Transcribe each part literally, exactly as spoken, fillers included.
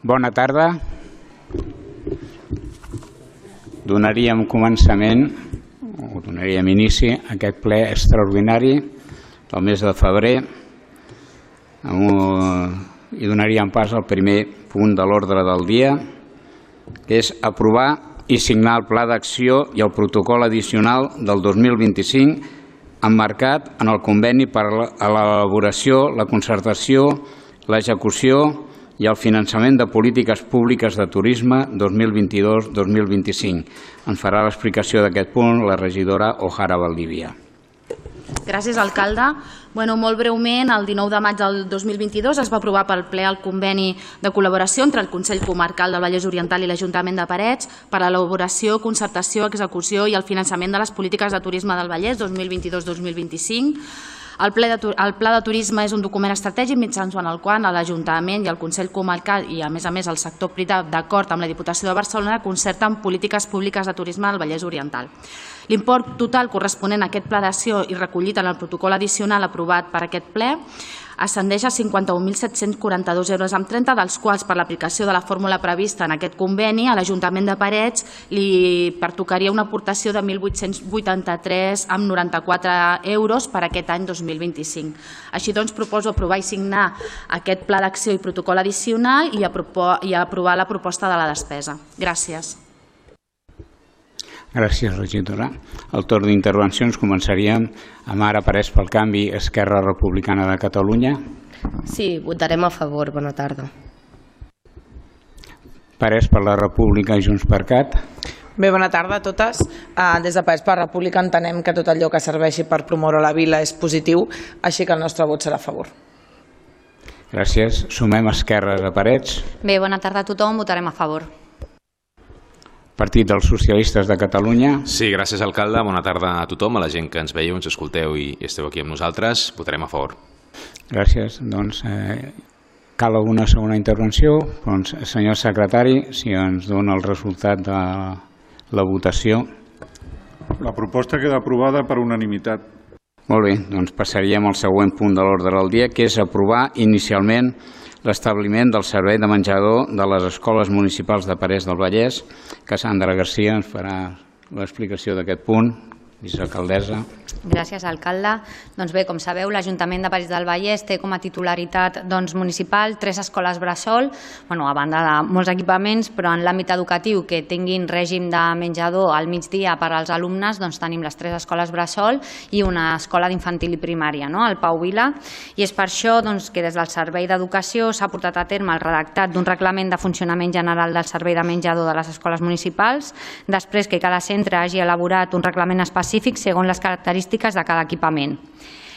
Bona tarda. Donaríem començament, o donaríem inici a aquest ple extraordinari del mes de febrer i donaríem pas al primer punt de l'ordre del dia, que és aprovar i signar el Pla d'Acció i el protocol addicional del dos mil vint-i-cinc emmarcat en el conveni per a l'elaboració, la concertació, l'execució i el finançament de polítiques públiques de turisme dos mil vint-i-dos dos mil vint-i-cinc. Ens farà l'explicació d'aquest punt la regidora O'Hara Valdivia. Gràcies, alcalde. Bueno, molt breument, el dinou de maig del dos mil vint-i-dos es va aprovar pel ple el conveni de col·laboració entre el Consell Comarcal del Vallès Oriental i l'Ajuntament de Parets per a l'elaboració, concertació, execució i el finançament de les polítiques de turisme del Vallès dos mil vint-i-dos dos mil vint-i-cinc. El Pla de Turisme és un document estratègic mitjançant el qual l'Ajuntament i el Consell Comarcal i, a més a més, el sector privat, d'acord amb la Diputació de Barcelona, concerten polítiques públiques de turisme al Vallès Oriental. L'import total corresponent a aquest pla d'acció i recollit en el protocol addicional aprovat per aquest ple ascendeix a cinquanta-un mil set-cents quaranta-dos euros amb trenta, dels quals, per l'aplicació de la fórmula prevista en aquest conveni, a l'Ajuntament de Parets li pertocaria una aportació de mil vuit-cents vuitanta-tres amb noranta-quatre euros per aquest any dos mil vint-i-cinc. Així doncs, proposo aprovar i signar aquest pla d'acció i protocol addicional i aprovar la proposta de la despesa. Gràcies. Gràcies, regidora. Al torn d'intervencions començaríem amb Ara Parets pel Canvi, Esquerra Republicana de Catalunya. Sí, votarem a favor. Bona tarda. Parets per la República i Junts per Cat. Bé, bona tarda a totes. Des de Parets per la República entenem que tot allò que serveixi per promoure la vila és positiu, així que el nostre vot serà a favor. Gràcies. Sumem esquerres a Parets. Bé, bona tarda a tothom. Votarem a favor. Partit dels Socialistes de Catalunya. Sí, gràcies, alcalde. Bona tarda a tothom, a la gent que ens veieu, ens escolteu i esteu aquí amb nosaltres. Votarem a favor. Gràcies. Doncs eh, cal una segona intervenció. Doncs, senyor secretari, si ens dona el resultat de la votació. La proposta queda aprovada per unanimitat. Molt bé, doncs passaríem al següent punt de l'ordre del dia, que és aprovar inicialment l'establiment del servei de menjador de les escoles municipals de Parets del Vallès. Cassandra Garcia ens farà l'explicació d'aquest punt. Vicealcaldessa. Gràcies, alcalde. Doncs bé, com sabeu, l'Ajuntament de Parets del Vallès té com a titularitat doncs, municipal tres escoles bressol, bueno, a banda de molts equipaments, però en l'àmbit educatiu que tinguin règim de menjador al migdia per als alumnes, doncs tenim les tres escoles bressol i una escola d'infantil i primària, no? El Pau Vila. I és per això doncs, que des del Servei d'Educació s'ha portat a terme el redactat d'un reglament de funcionament general del servei de menjador de les escoles municipals, després que cada centre hagi elaborat un reglament específic segons les característiques de cada equipament.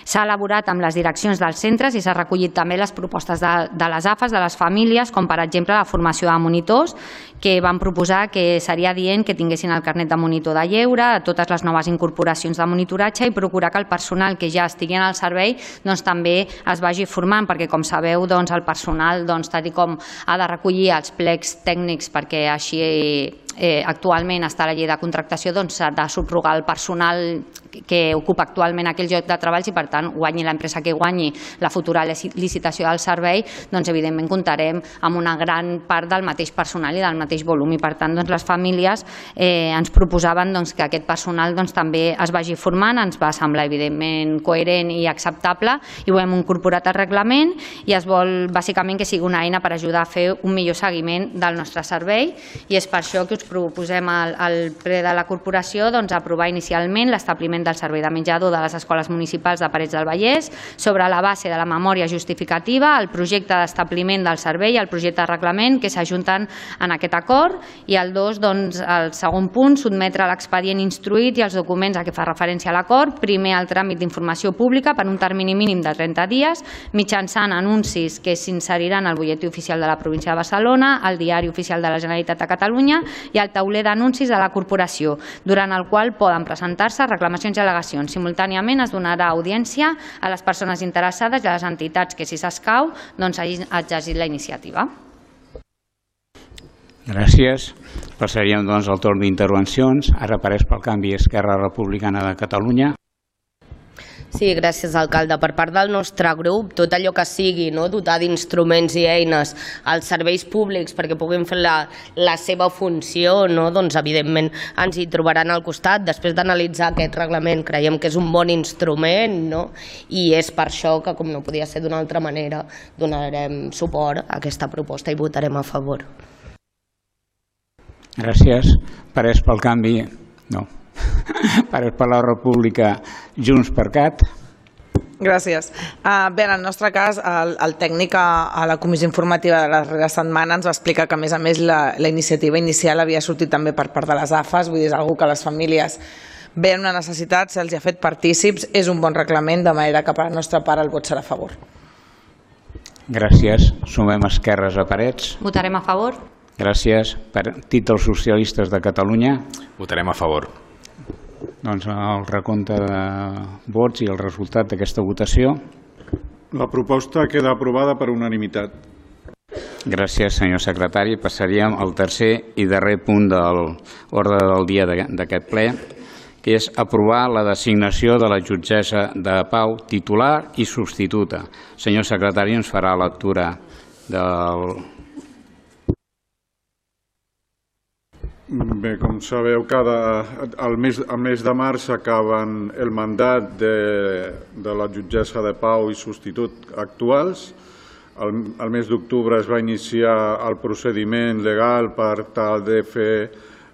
S'ha elaborat amb les direccions dels centres i s'ha recollit també les propostes de, de les A F A s, de les famílies, com per exemple la formació de monitors, que van proposar que seria dient que tinguessin el carnet de monitor de lleure, totes les noves incorporacions de monitoratge i procurar que el personal que ja estigui en el servei doncs, també es vagi formant, perquè com sabeu doncs, el personal, doncs, tal com ha de recollir els plecs tècnics perquè així eh, actualment està a la llei de contractació, doncs s'ha de subrogar el personal que ocupa actualment aquell lloc de treball i per tant guanyi l'empresa que guanyi la futura licitació del servei, doncs evidentment comptarem amb una gran part del mateix personal i del mateix volum i per tant doncs, les famílies eh, ens proposaven doncs, que aquest personal doncs, també es vagi formant, ens va semblar evidentment coherent i acceptable i ho hem incorporat al reglament i es vol bàsicament que sigui una eina per ajudar a fer un millor seguiment del nostre servei i és per això que us proposem al, al ple de la corporació doncs, aprovar inicialment l'establiment del servei de menjador de les escoles municipals de Parets del Vallès sobre la base de la memòria justificativa, el projecte d'establiment del servei i el projecte de reglament que s'ajunten en aquest acord i el dos, doncs, el segon punt, sotmetre l'expedient instruït i els documents a què fa referència a l'acord, primer el tràmit d'informació pública per un termini mínim de trenta dies, mitjançant anuncis que s'inseriran al butlletí oficial de la província de Barcelona, al diari oficial de la Generalitat de Catalunya i al tauler d'anuncis de la corporació, durant el qual poden presentar-se reclamacions i al·legacions. Simultàniament es donarà audiència a les persones interessades i a les entitats que, si s'escau, doncs hagin exercit la iniciativa. Gràcies. Passaríem doncs al torn d'intervencions. Ara Parets pel Canvi, Esquerra Republicana de Catalunya. Sí, gràcies, alcalde. Per part del nostre grup, tot allò que sigui no, dotar d'instruments i eines als serveis públics perquè puguin fer la, la seva funció, no, doncs, evidentment ens hi trobaran al costat. Després d'analitzar aquest reglament, creiem que és un bon instrument, no? I és per això que, com no podia ser d'una altra manera, donarem suport a aquesta proposta i votarem a favor. Gràcies. Parés pel canvi... No. Parés per la República, Junts per Cat. Gràcies. Uh, bé, en el nostre cas, el, el tècnic a, a la comissió informativa de la darrera setmana ens va explicar que, a més a més, la, la iniciativa inicial havia sortit també per part de les A F A S, vull dir, és una que les famílies veien una necessitat, se'ls ha fet partícips, és un bon reglament, de manera que per la nostra part el vot serà a favor. Gràcies. Sumem esquerres a Parets. Votarem a favor. Gràcies. Partit dels Socialistes de Catalunya. Votarem a favor. Doncs el recompte de vots i el resultat d'aquesta votació. La proposta queda aprovada per unanimitat. Gràcies, senyor secretari. Passaríem al tercer i darrer punt de l'ordre del dia d'aquest ple, que és aprovar la designació de la jutgessa de pau titular i substituta. El senyor secretari ens farà lectura del... Bé, com sabeu, cada, al, mes, al mes de març acaben el mandat de, de la jutgessa de pau i substitut actuals. Al, al mes d'octubre es va iniciar el procediment legal per tal de fer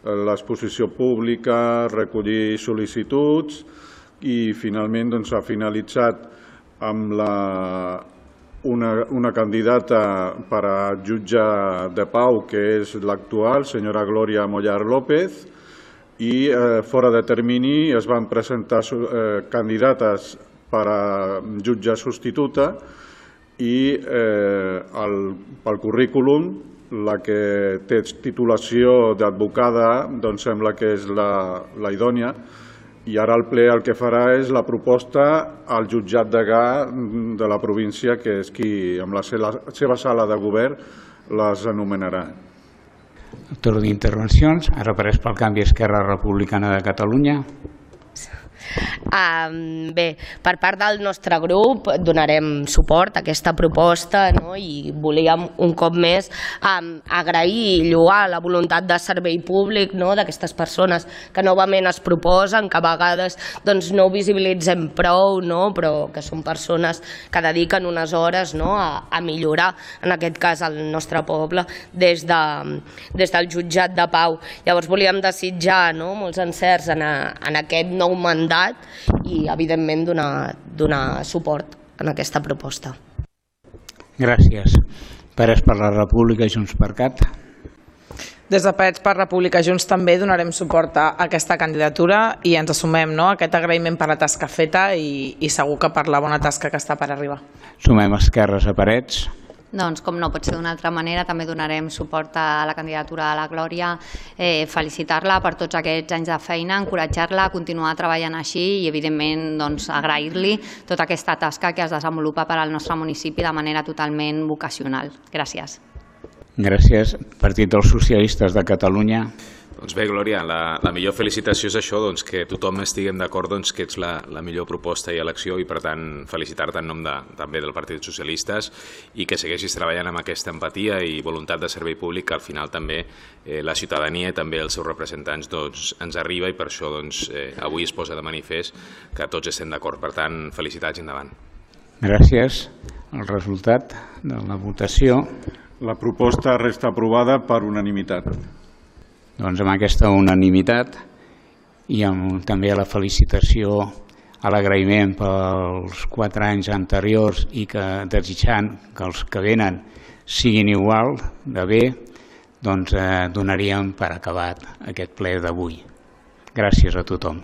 l'exposició pública, recollir sol·licituds i finalment doncs, ha finalitzat amb la, una, una candidata per a jutge de pau, que és l'actual, senyora Glòria Mollar López, i eh, fora de termini es van presentar eh, candidates per a jutge substituta i eh, el, pel currículum la que té titulació d'advocada doncs sembla que és la, la idònia. I ara el ple el que farà és la proposta al jutjat degà de la província, que és qui, amb la seva sala de govern, les anomenarà. El torn d'intervencions. Ara apareix pel canvi Esquerra Republicana de Catalunya. Um, bé, per part del nostre grup donarem suport a aquesta proposta, no? I volíem un cop més um, agrair i lloar la voluntat de servei públic, no? D'aquestes persones que novament es proposen, que a vegades doncs, no ho visibilitzem prou, no? Però que són persones que dediquen unes hores, no? a, a millorar, en aquest cas, el nostre poble des, de, des del jutjat de pau. Llavors volíem desitjar, no? molts encerts en, a, en aquest nou mandat i, evidentment, donar, donar suport en aquesta proposta. Gràcies. Parets per la República, Junts per Cat. Des de Parets per República Junts també donarem suport a aquesta candidatura i ens assumem no, aquest agraïment per la tasca feta i, i segur que per la bona tasca que està per arribar. Sumem esquerres a Parets. Doncs, com no pot ser d'una altra manera, també donarem suport a la candidatura de la Glòria, eh, felicitar-la per tots aquests anys de feina, encoratjar-la a continuar treballant així i, evidentment, doncs, agrair-li tota aquesta tasca que es desenvolupa per al nostre municipi de manera totalment vocacional. Gràcies. Gràcies. Partit dels Socialistes de Catalunya. Doncs bé, Glòria, la, la millor felicitació és això, doncs, que tothom estiguem d'acord doncs, que ets la, la millor proposta i elecció i, per tant, felicitar-te en nom de, també del Partit Socialistes i que segueixis treballant amb aquesta empatia i voluntat de servei públic que al final també eh, la ciutadania i també els seus representants doncs, ens arriba i per això doncs, eh, avui es posa de manifest que tots estem d'acord. Per tant, felicitats i endavant. Gràcies. El resultat de la votació. La proposta resta aprovada per unanimitat. Doncs amb aquesta unanimitat i amb també la felicitació, a l'agraïment pels quatre anys anteriors i que desitjant que els que venen siguin igual de bé, doncs eh, donaríem per acabat aquest ple d'avui. Gràcies a tothom.